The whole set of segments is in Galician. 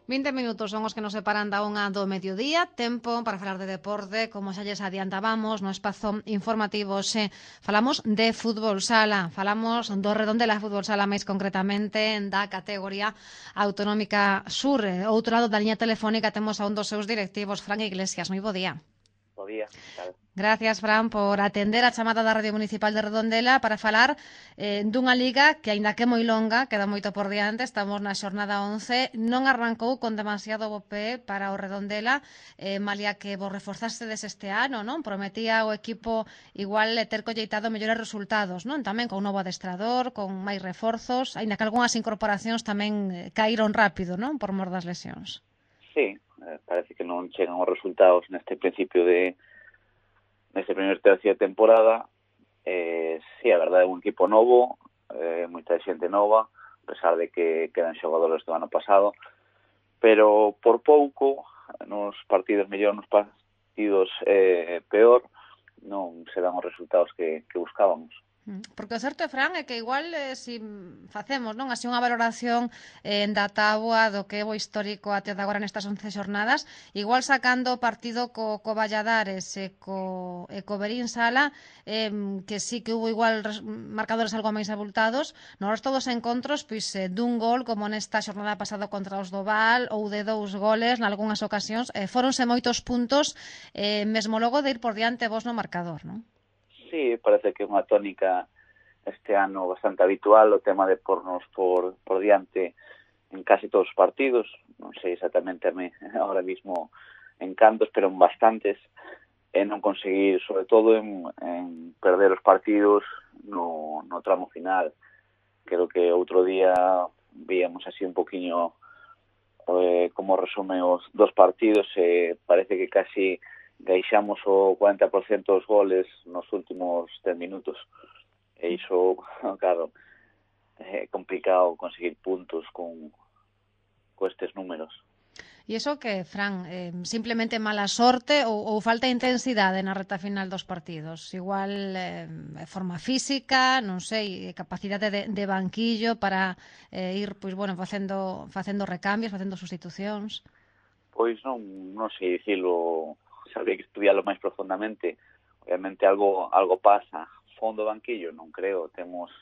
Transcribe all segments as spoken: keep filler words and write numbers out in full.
vinte minutos son os que nos separan da unha do mediodía, tempo para falar de deporte, como xa lles adiantábamos no espazo informativo, xe falamos de fútbol sala, falamos do Redondela Fútbol Sala, máis concretamente da categoría autonómica sur. Outro lado da liña telefónica temos a un dos seus directivos, Fran Iglesias. Moi bo día. Bo día, tal. Gracias, Fran, por atender a chamada da Radio Municipal de Redondela para falar eh, dunha liga que, aínda que é moi longa, queda moito por diante. Estamos na xornada once, non arrancou con demasiado bo pé para o Redondela, eh, malia que vos reforzastes este ano, non? Prometía o equipo igual ter colleitado mellores resultados, non? Tamén con un novo adestrador, con máis reforzos, aínda que algunhas incorporacións tamén eh, caíron rápido, non? Por mor das lesións. Sí, eh, parece que non chegan os resultados neste principio de neste primer tercio de temporada. Eh, sí, a verdade é un equipo novo, eh, moita xente nova, a pesar de que quedan xogadores do ano pasado, pero por pouco, nos partidos mellor, nos partidos eh, peor, non se dan os resultados que, que buscábamos. Porque o certo, Fran, é que igual eh, si facemos non así unha valoración eh, da táboa do que é o histórico até de agora nestas once xornadas, igual sacando o partido co, co Valladares e co, e co Verín Sala, eh, que sí que hubo igual res, marcadores algo máis abultados, no resto dos encontros, pois eh, dun gol como nesta xornada pasada contra os do Val, ou de dous goles nalgúnas ocasións, eh, foronse moitos puntos, eh, mesmo logo de ir por diante vos no marcador, non? Sí, parece que é unha tónica este ano bastante habitual, o tema de pornos por, por diante en casi todos os partidos, non sei exactamente a mí ahora mismo en cantos, pero en bastantes, e non conseguir, sobre todo en, en perder os partidos no, no tramo final. Creo que outro día víamos así un poquinho eh, como resume os dos partidos, e eh, parece que casi deixamos o cuarenta por ciento dos goles nos últimos dez minutos. E iso, claro, é complicado conseguir puntos con, con estes números. E iso que, Fran, eh, simplemente mala sorte ou, ou falta intensidade na reta final dos partidos? Igual eh, forma física, non sei, capacidade de, de banquillo para eh, ir, pois, bueno, facendo, facendo recambios, facendo sustitucións? Pois non, non sei dicilo, sabría que estudiarlo máis profundamente. Obviamente algo algo pasa. Fondo banquillo, non creo. Temos,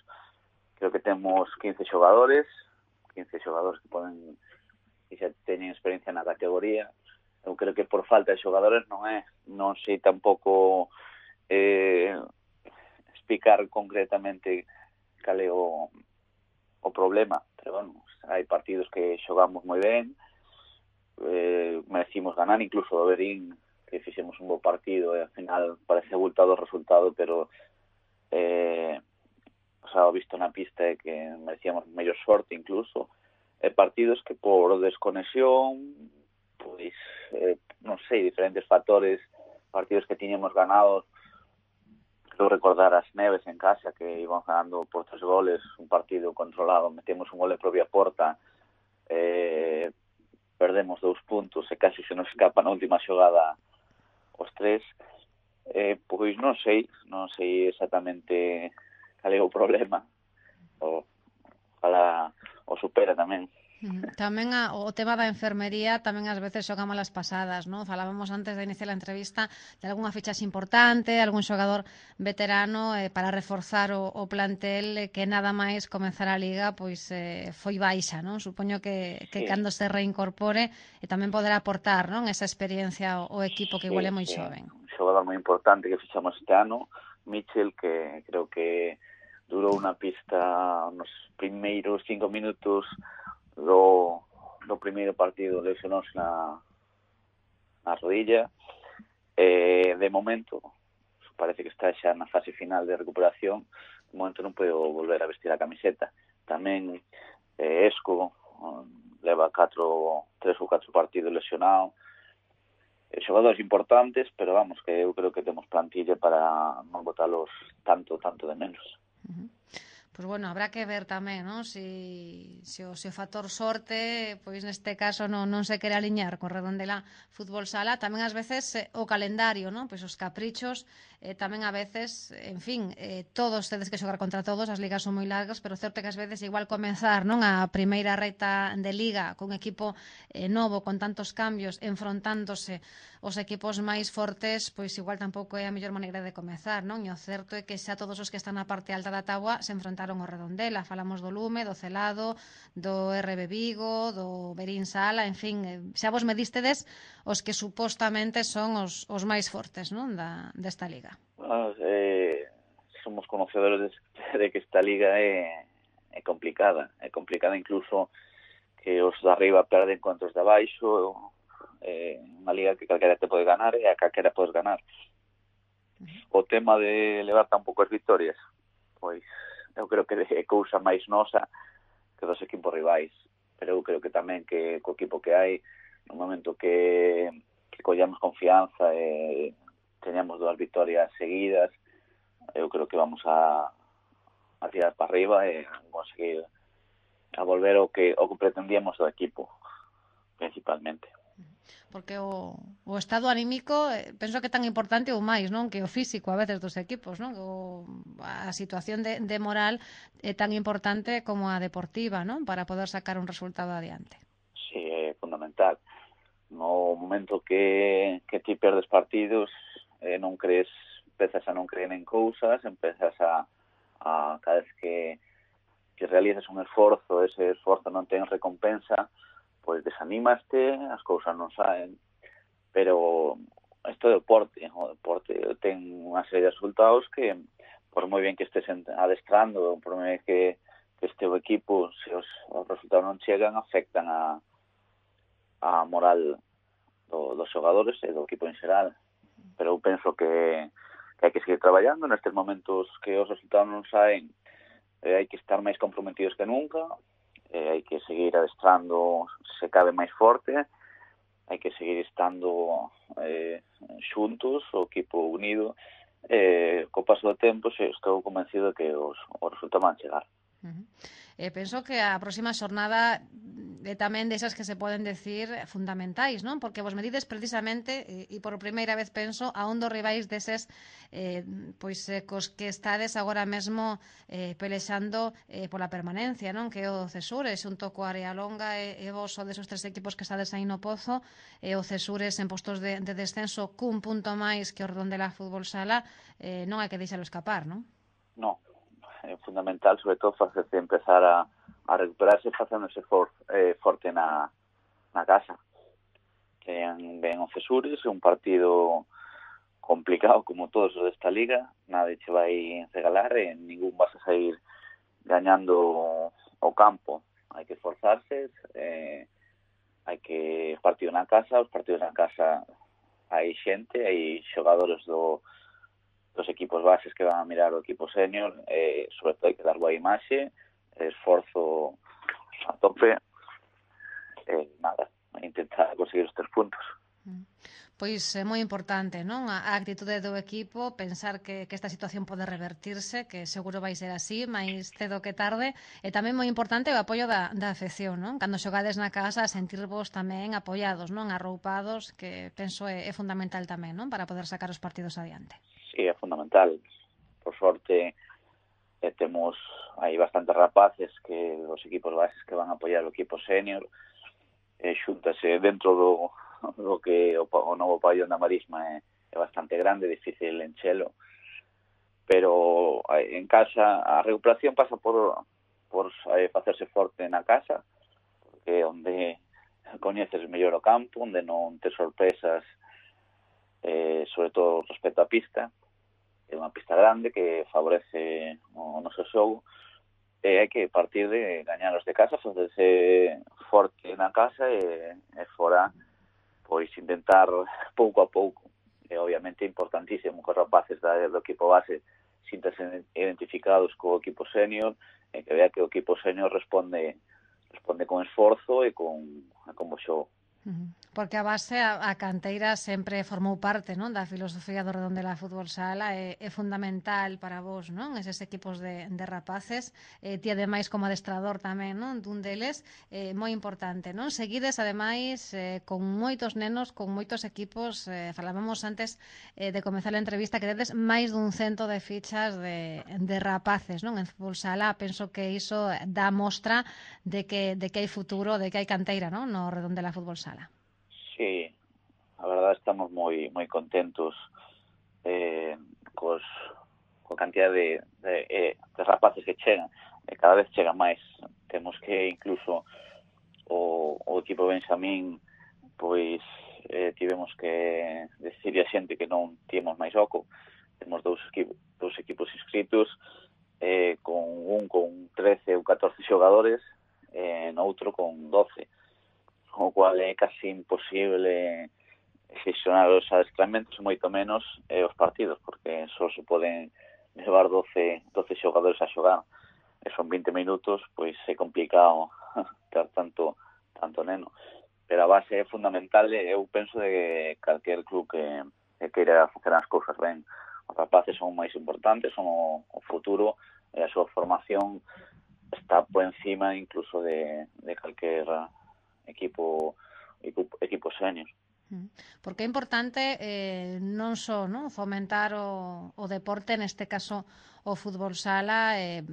creo que temos quince xogadores, quince xogadores que poden, que xa teñen experiencia na categoría. Eu creo que por falta de xogadores non é. Non sei tampouco eh, explicar concretamente cal é o, o problema, pero bueno, hai partidos que xogamos moi ben, eh, merecimos ganar, incluso o Verín, que fixemos un bo partido e ao final parece abultado o resultado, pero eh, o sea, visto na pista é que merecíamos mellor sorte incluso, e partidos que por desconexión, pois eh, non sei, diferentes factores, partidos que tiñemos ganados. Creo recordar as Neves en casa, que iban ganando por tres goles, un partido controlado, metemos un gol de propia porta, eh, perdemos dous puntos e casi se nos escapa na última xogada os tres. Eh, pois non sei, non sei exactamente cal é o problema. O, ojalá o supera tamén. Tamén a, o tema da enfermería tamén ás veces xoga malas pasadas, non? Falábamos antes de iniciar a entrevista de algunha fichaxe importante, algún xogador veterano eh, para reforzar o, o plantel eh, que nada máis comenzar a liga pois eh, foi baixa, non? Supoño que, que sí, cando se reincorpore e tamén poderá aportar, non? Esa experiencia ao, ao equipo que sí, igual é moi sí, xoven. Un xogador moi importante que fichamos este ano, Mitchell, que creo que durou na pista nos primeiros cinco minutos do, do primeiro partido, lesionouse na, na rodilla. Eh, de momento, parece que está xa na fase final de recuperación. De momento non pode volver a vestir a camiseta. Tamén eh, Esco leva catro, tres ou catro partidos lesionado. Eh, xogadores importantes, pero vamos, que eu creo que temos plantilla para non botalos tanto, tanto de menos. Uh-huh. Pois bueno, habrá que ver tamén, non? Si, si, o, si o factor sorte, pois neste caso non, non se quere aliñar con Redondela Fútbol Sala. Tamén ás veces eh, o calendario, non? Pois os caprichos, eh, tamén a veces, en fin, eh, todos tedes que xogar contra todos, as ligas son moi largas, pero certo que ás veces igual comenzar, non? A primeira reta de liga cun equipo eh, novo, con tantos cambios, enfrontándose os equipos máis fortes, pois igual tampouco é a mellor maneira de comezar, non? E o certo é que xa todos os que están na parte alta da táboa se enfrontaron o Redondela. Falamos do Lume, do Celado, do R B Vigo, do Berín Sala, en fin, eh, xa vos medistedes os que supostamente son os, os máis fortes, non? Da, desta liga. Bueno, eh, somos conocedores de, de que esta liga é, é complicada, é complicada incluso que os de arriba perden contra os de abaixo, é unha liga que calquera te pode ganar e a calquera podes ganar. O tema de levar tan poucas victorias, pois eu creo que é cousa máis nosa que dos equipos rivais, pero eu creo que tamén que co equipo que hai, no momento que, que collamos confianza e teñamos dúas victorias seguidas, eu creo que vamos a, a tirar para arriba e a conseguir a volver o que o que pretendíamos do equipo, principalmente. Porque o, o estado anímico eh, penso que é tan importante ou máis, non? Que o físico a veces dos equipos, non? O, a situación de, de moral é tan importante como a deportiva, non? Para poder sacar un resultado adiante. Sí, é fundamental. No momento que, que ti perdes partidos, eh, non crees, empezas a non creer en cousas, empezas a, a cada vez que, que realizas un esforzo, ese esforzo non ten recompensa, pois desanimaste, as cousas non saen, pero isto é deporte, o deporte ten unha serie de resultados que, por moi ben que estés adestrando, por moi ben que, que este o equipo, se os, os resultados non chegan, afectan a, a moral do, dos xogadores e do equipo en xeral. Pero eu penso que, que hai que seguir traballando nestes momentos que os resultados non saen, eh, hai que estar máis comprometidos que nunca, eh, hai que seguir adestrando se cabe máis forte, hai que seguir estando eh, xuntos, o equipo unido, eh, co paso do tempo se estou convencido que os, os resultados van chegar. Uh-huh. Eh, penso que a próxima xornada é tamén desas que se poden decir fundamentais, non? Porque vos medides precisamente, e, e por primeira vez penso, a un dos rivais deses eh, pois eh, cos que estades agora mesmo eh, pelexando eh, pola permanencia, non? Que é o Cesures, xunto coa Área Longa e, e vos o desos tres equipos que estades aí no pozo, e o Cesures en postos de, de descenso cun punto máis que o Redondela Fútbol Sala, eh, non hai que deixalo escapar, non? Non. É fundamental, sobre todo, facerse empezar a, a recuperarse facéndose for, eh, forte na, na casa. Ten ben o Cesures, un partido complicado como todos os desta liga, nada che vai regalar e ningún vas a sair gañando o campo. Hai que esforzarse, eh, hai que partido na casa, os partidos na casa hai xente, hai xogadores do dos equipos bases que van a mirar o equipo senior, eh, sobre todo hai que dar boa imaxe, esforzo a tope, eh, nada, intentar conseguir os tres puntos. Pois é moi importante, non? A actitude do equipo, pensar que, que esta situación pode revertirse, que seguro vai ser así, máis cedo que tarde, e tamén moi importante o apoio da, da afección, non? Cando xogades na casa, sentirvos tamén apoiados, non? Arroupados, que penso é, é fundamental tamén, non? Para poder sacar os partidos adiante. Sí, é fundamental. Por sorte, eh, temos aí bastantes rapaces que os equipos bases que van a apoiar o equipo senior, eh, xúntase dentro do do que o, o novo pabellón da Marisma é, é bastante grande, difícil enchelo, pero en casa a recuperación pasa por por eh, facerse forte na casa, porque onde coñeces mellor o campo, onde non te sorpresas, eh, sobre todo respecto á pista, é unha pista grande que favorece o noso xogo, e hai que partir de gañar os de casa, facerse forte na casa e, e fora pois intentar pouco a pouco. E obviamente é importantísimo que os rapaces do equipo base sintanse identificados co equipo senior e que vea que o equipo senior responde responde con esforzo e con, con bo xogo. Porque a base, a, a canteira sempre formou parte, non, da filosofía do Redondela Fútbol Sala, é, é fundamental para vos, non, eses equipos de, de rapaces, eh, ti ademais como adestrador tamén, non, dun deles, eh, moi importante, non, seguides ademais eh, con moitos nenos, con moitos equipos, eh, falábamos antes eh, de comezar a entrevista que tedes máis dun cento de fichas de, de rapaces, non, en Fútbol Sala, penso que iso dá mostra de que, de que hai futuro, de que hai canteira, non, no Redondela Fútbol Sala. Sí, a verdade estamos moi moi contentos eh, cos, coa cantidad de, de, eh, de rapaces que chegan, e cada vez chegan máis. Temos que incluso o, o equipo Benxamín, pois eh, tivemos que decirle a xente que non tíamos máis oco. Temos dous equipos, dous equipos inscritos, eh, con un con trece ou catorce xogadores, e eh, noutro con doce, o cual é casi imposible xestionar os adestramentos, moito menos eh, os partidos, porque só se poden levar doce, doce xogadores a xogar, e son vinte minutos, pois é complicado ter tanto tanto neno. Pero a base é fundamental, eu penso de calquer club que, que queira facer as cousas ben. Os rapaces son máis importantes, son o, o futuro, e a súa formación está por encima incluso de, de calquer equipo equipo, equipo senior. Porque é importante eh, non só, non, fomentar o, o deporte, neste caso o fútbol sala, eh,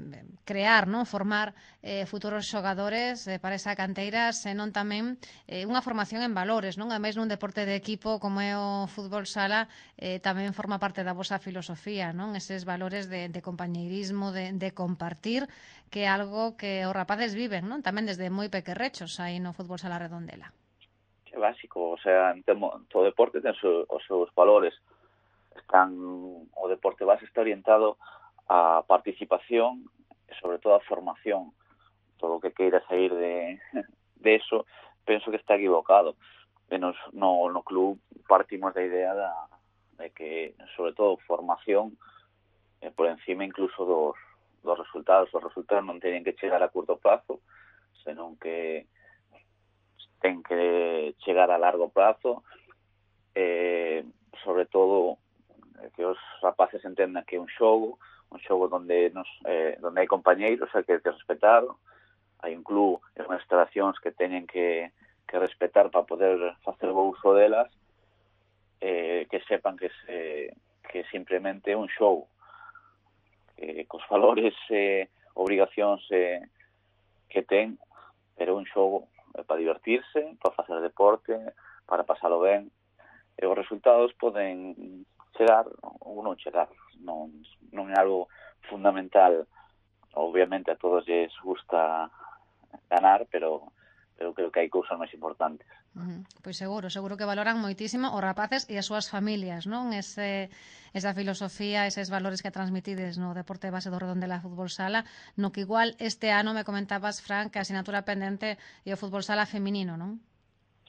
crear, non, formar eh, futuros xogadores eh, para esa canteira, senón tamén eh, unha formación en valores, non? Ademais nun deporte de equipo como é o fútbol sala, eh, tamén forma parte da vosa filosofía, non? Eses valores de, de compañeirismo, de, de compartir, que é algo que os rapaces viven, non? Tamén desde moi pequerrechos aí no fútbol sala Redondela. É básico, o sea, en temo, todo deporte ten os seus valores. Están, o deporte base está orientado a participación e sobre todo a formación. Todo o que queira sair de, de eso, penso que está equivocado. Menos no, no club partimos da idea da, de que, sobre todo, formación eh, por encima incluso dos, dos resultados. Os resultados non teñen que chegar a curto plazo, senón que ten que chegar a largo plazo, eh, sobre todo que os rapaces entendan que é un xogo, un xogo onde nos, eh, onde hai compañeiros, hai que, que respetar, hai un club e unhas instalacións que teñen que, que respetar para poder facer bo uso delas, eh, que sepan que, se, que simplemente é un xogo, que cos valores e eh, obrigacións eh, que ten, pero un xogo para divertirse, para facer deporte, para pasalo ben, e os resultados poden chegar ou non chegar, non, non é algo fundamental. Obviamente a todos lles gusta ganar, pero, pero creo que hai cousas máis importantes. Uh-huh. Pois seguro, seguro que valoran moitísimo os rapaces e as súas familias, non? Ese, esa filosofía, eses valores que transmitides no deporte base do Redondela Fútbol Sala, no que igual este ano me comentabas, Fran, que a asignatura pendente é o fútbol sala feminino, non?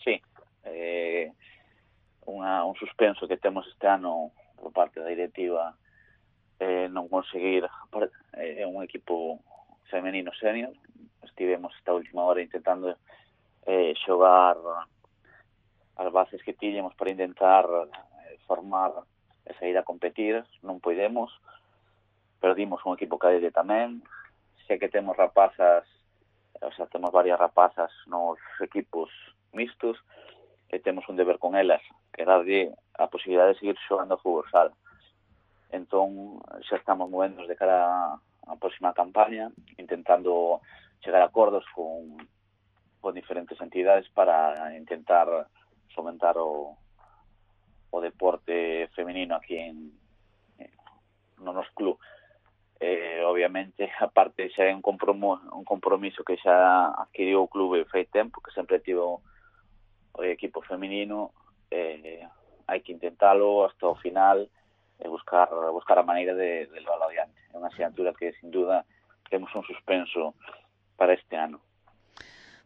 Sí, eh, unha, un suspenso que temos este ano por parte da directiva, eh, non conseguir eh, un equipo femenino senior. Estivemos esta última hora intentando eh, xogar as bases que tiñemos para intentar eh, formar e sair a competir. Non podemos, perdimos un equipo cadete tamén. Sei que temos rapazas, o sea, temos varias rapazas nos equipos mixtos, e temos un deber con elas, que darlle a posibilidade de seguir xogando a fútbol sala. Entón, xa estamos movendo de cara á próxima campaña, intentando chegar a acordos con, con diferentes entidades para intentar fomentar o, o deporte femenino aquí en, en no nos club. Eh, obviamente, aparte xa é un compromiso, un compromiso que xa adquiriu o clube fai tempo, que sempre tivo o equipo femenino, eh, hai que intentalo hasta o final e buscar buscar a maneira de, de levarlo adiante. É unha asignatura que, sin duda, temos un suspenso para este ano.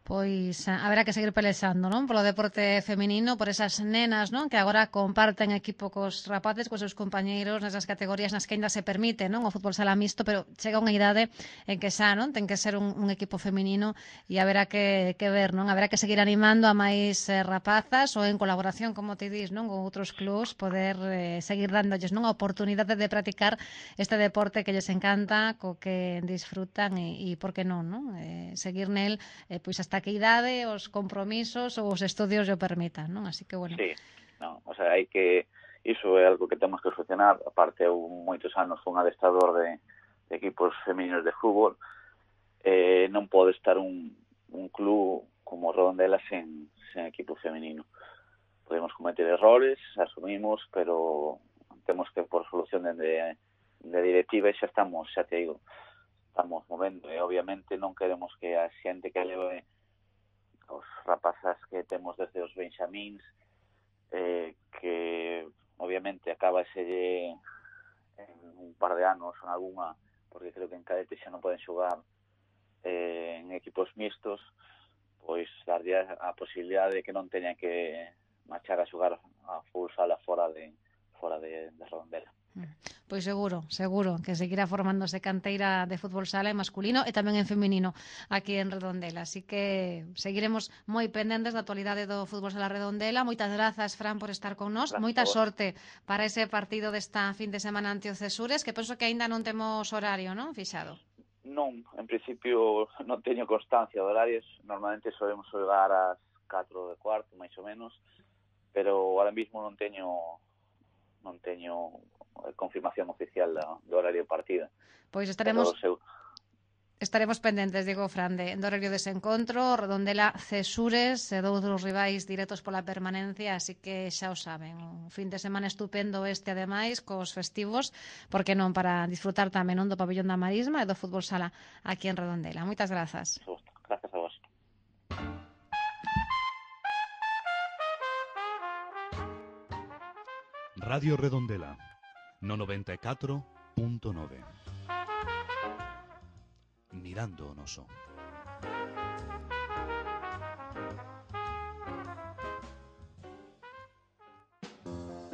Pois haberá que seguir pelexando, non? Polo deporte feminino, por esas nenas, non? Que agora comparten equipo cos rapaces, cos seus compañeiros nesas categorías nas que ainda se permite, non? O fútbol sala mixto, pero chega unha idade en que xa, non? Ten que ser un, un equipo feminino e haberá que, que ver, non? Haberá que seguir animando a máis eh, rapazas ou en colaboración, como te dis, non? Con outros clubs, poder eh, seguir dándolles, non? A oportunidade de practicar este deporte que lles encanta, co que disfrutan e, e por que non, non? Eh, seguir nel, eh, pois hasta que idade, os compromisos ou os estudios o permitan, non? Así que, bueno. Sí, no, o sea, hai que... Iso é algo que temos que solucionar. Aparte, eu moitos anos fui un adestrador de, de equipos femininos de fútbol. Eh, non pode estar un, un club como Redondela sen, sen equipo femenino. Podemos cometer errores, asumimos, pero temos que, por solución de, de directiva, xa estamos, xa te digo, estamos movendo. E, obviamente, non queremos que a xente que leve os rapazas que temos desde os benxamíns, eh, que obviamente acaba ese en un par de anos en algunha, porque creo que en cadete xa non poden xogar eh, en equipos mixtos, pois darlle a posibilidade de que non teñan que marchar a xogar a full sala fora de fora de, de Redondela. Pois seguro, seguro que seguirá formándose canteira de fútbol sala en masculino e tamén en feminino aquí en Redondela, así que seguiremos moi pendentes da actualidade do fútbol sala Redondela. Moitas grazas, Fran, por estar con nós. Gracias, Moita sorte para ese partido desta fin de semana ante o Cesures, que penso que aínda non temos horario, non, fixado? Non, en principio non teño constancia de horarios. Normalmente solemos xogar ás catro de cuarto, máis ou menos, pero ahora mismo non teño non teño confirmación oficial do horario de partida. Pois estaremos seu... estaremos pendentes, digo, Fran, de, do horario dese encontro. Redondela Cesures, e dous dos rivais directos pola permanencia, así que xa o saben, un fin de semana estupendo este, ademais, cos festivos, porque non, para disfrutar tamén non do pabellón da Marisma e do fútbol sala aquí en Redondela. Moitas grazas. Grazas a vos. Radio Redondela, no noventa e catro punto nove. Mirando o noso.